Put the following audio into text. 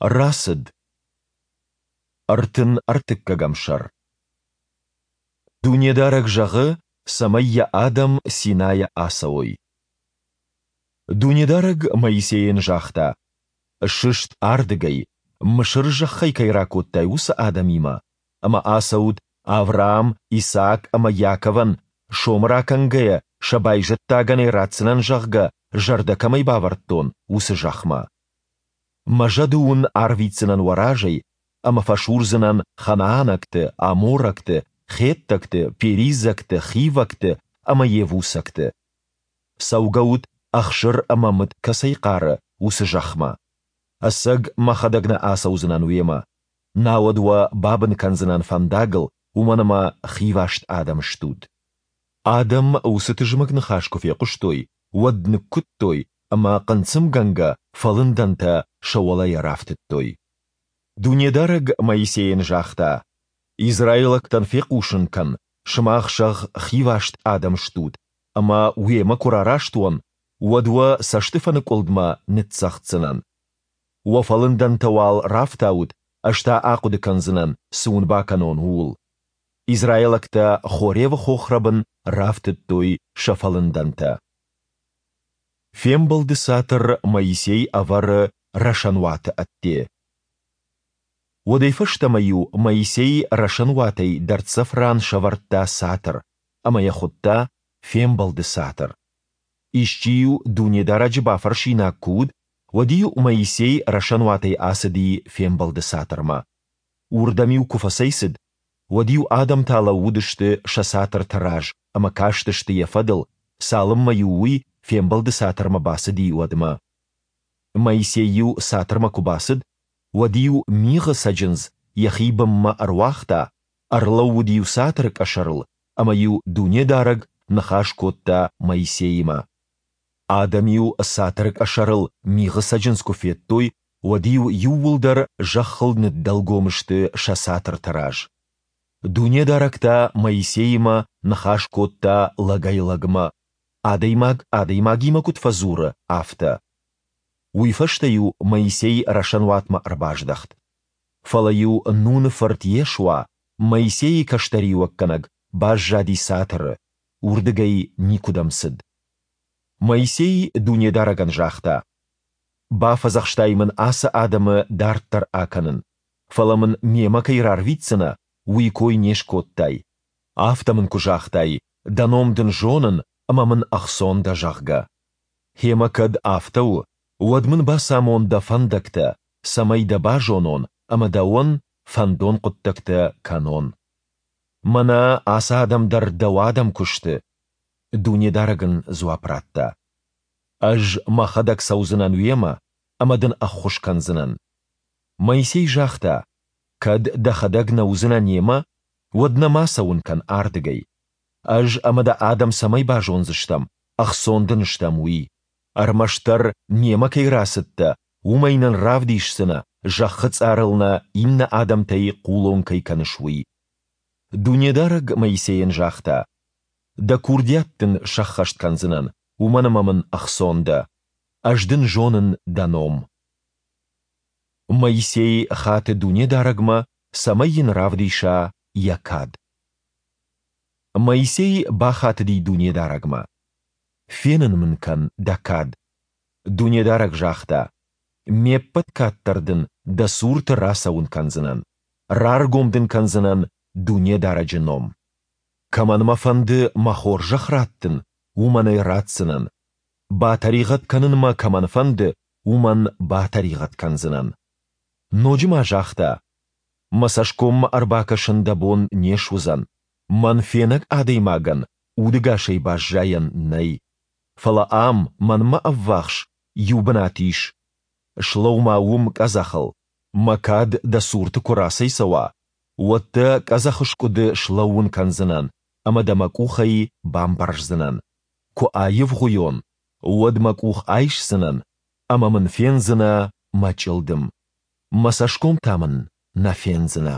Рацыд. 33-ӕм сӕр. Дунедарӕг зӕгъы, цӕмӕй Йӕ адӕм Синайӕ ацӕуой. Дунедарӕг Моисейӕн загъта: «Сыст ардыгӕй, Мысыры зӕххӕй кӕй ракодтай, уыцы адӕмимӕ, ӕмӕ ацӕут, Авраам, Исаак ӕмӕ Иаковӕн, сомы ракӕнгӕйӕ, сӕ байзӕддагӕн ӕй ратдзынӕн, зӕгъгӕ, зӕрдӕ кӕмӕй бавӕрдтон, уыцы зӕхмӕ. Мӕ зӕды уын арвитдзынӕн уӕ разӕй ӕмӕ фӕсурдзынӕн ханаанӕгты, аморӕгты, хеттӕгты, перизӕгты, хивӕгты ӕмӕ йевусӕгты. Цӕугӕут, ӕхсыр ӕмӕ мыд кӕцӕй хъары, уыцы зӕхмӕ. Ӕцӕг мӕхӕдӕг нӕ ацӕудзынӕн уемӕ, науӕд уӕ бабын кӕндзынӕн фӕндагыл, уымӕн ӕмӕ хиваст адӕм стут. Адӕм уыцы тызмӕг ныхас куы фехъуыстой, уӕд ныккуыдтой ӕмӕ хъынцъымгӕнгӕ фӕлындӕнтӕ сӕ уӕлӕйӕ рафтыдтой. Дунедарӕг Моисейӕн загъта, Израилӕгтӕн фехъусын кӕн, сымах, зӕгъ, хиваст адӕм стут, ӕмӕ уемӕ куы рараст уон, уӕд уӕ цӕстыфӕныкъуылдмӕ ныццӕгъддзынӕн. Уӕ фӕлындӕнтӕ уал рафтаут, ӕз та ахъуыды кӕндзынӕн, цы уын бакӕнон, ууыл. Израилӕгтӕ Хоревы хохрӕбын рафтыдтой сӕ фӕлындӕнтӕ. Фембӕлды цатыр Моисей ӕвӕры рӕсӕнуаты ӕдде. Уӕдӕй фӕстӕмӕ-иу Моисей рӕсӕнуатӕй дӕрддзӕф ран сӕвӕрдта цатыр ӕмӕ йӕ хуыдта Фембӕлды цатыр. Исчи-иу Дунедарӕджы бафӕрсинаг куы уыд, уӕд-иу Моисей рӕсӕнуатӕй ацыди Фембӕлды цатырмӕ. Уырдӕм-иу куы фӕцӕйцыд, уӕд-иу адӕм та лӕууыдысты сӕ цатырты раз ӕмӕ кастысты йӕ фӕдыл, цалынмӕ-иу уый Фембӕлды цатырмӕ бацыди, уӕдмӕ. Моисей-иу цатырмӕ куы бацыд, уӕд-иу мигъы цӕджындз йӕхи бынмӕ ӕруагъта, ӕрлӕууыд-иу цатыры къӕсӕрыл ӕмӕ-иу Дунедарӕг ныхас кодта Моисеимӕ. Адӕм-иу цатыры къӕсӕрыл мигъы цӕджындз куы федтой, уӕд-иу иууылдӕр зӕххыл ныддӕлгом сты сӕ цатырты раз. Дунедарӕг та Моисеимӕ ныхас кодта лӕгӕй-лӕгмӕ, адӕймаг адӕймагимӕ куыд фӕдзуры, афтӕ. Уый фӕстӕ-иу Моисей рӕсӕнуатмӕ ӕрбаздӕхт. Фӕлӕ-иу Нуны фырт Йешуа, Моисейы кӕстӕриуӕггӕнӕг, баззади цатыры, уырдыгӕй никуыдӕм цыд. Моисей Дунедарӕгӕн загъта: Бафӕдзӕхстай мын ацы адӕмы дарддӕр акӕнын, фӕлӕ мын мемӕ кӕй рарвитдзынӕ, уый кой не скодтай. Афтӕ мын куы загътай, дӕ ном дын зонын ӕмӕ мын ӕхцон дӕ, зӕгъгӕ. Гъемӕ кӕд афтӕ у, уӕд мын бацамон дӕ фӕндӕгтӕ, цӕмӕй дӕ базонон ӕмӕ дӕуӕн фӕндон хъуыддӕгтӕ кӕнон. Мӕнӕ ацы адӕм дӕр дӕу адӕм куы сты. Дунедарӕг ын дзуапп радта: Ӕз мӕхӕдӕг цӕудзынӕн уемӕ ӕмӕ дын ӕххуыс кӕндзынӕн. Моисей загъта, Кӕд дӕхӕдӕг нӕ уыдзынӕ немӕ, уӕд нӕ ма цӕуын кӕн ардыгӕй. Ӕз ӕмӕ дӕ адӕм цӕмӕй базондзыстӕм, ӕхцон дын стӕм, уый? Ӕрмӕстдӕр немӕ кӕй рацыдтӕ, уымӕй нын равдисдзынӕ, зӕххы цъарыл нӕ иннӕ адӕмтӕй хъулон кӕй кӕныс, уый. Дунедарӕг Моисейӕн загъта, Дӕ курдиат дын сӕххӕст кӕндзынӕн, уымӕн ӕмӕ мын ӕхцон дӕ. Ӕз дын зонын дӕ ном. Моисей хаты Дунедарӕгмӕ, цӕмӕй йын равдиса йӕ кад. Моисей бахатыди Дунедарӕгмӕ: Фенын мын кӕн дӕ кад. Дунедарӕг загъта: Ме ппӕт кад дӕр дын дӕ цурты рацӕуын кӕндзынӕн, раргом дын кӕндзынӕн Дунедарӕджы ном. Кӕмӕн мӕ фӕнды мӕ хорзӕх раттын, уымӕн ӕй ратдзынӕн. Батӕригъӕд кӕнын мӕ кӕмӕн фӕнды, уымӕн батӕригъӕд кӕндзынӕн. Ноджы ма загъта: Мӕ цӕсгоммӕ ӕрбакӕсын дӕ бон не суыдзӕн, мӕн фенӕг адӕймагӕн удӕгасӕй баззайӕн нӕй. Фӕлӕ ам, мӕнмӕ ӕввахс, иу бынат ис. Слӕуу-ма уым къӕдзӕхыл. Мӕ кад дӕ цурты куы рацӕйцӕуа, уӕд дӕ къӕдзӕхы скъуыды слӕууын кӕндзынӕн ӕмӕ дӕ мӕ къухӕй бамбӕрздзынӕн. Куы аивгъуыйон, уӕд мӕ къух айсдзынӕн, ӕмӕ мын фендзынӕ мӕ чъылдым. Мӕ цӕсгом та мын нӕ фендзынӕ.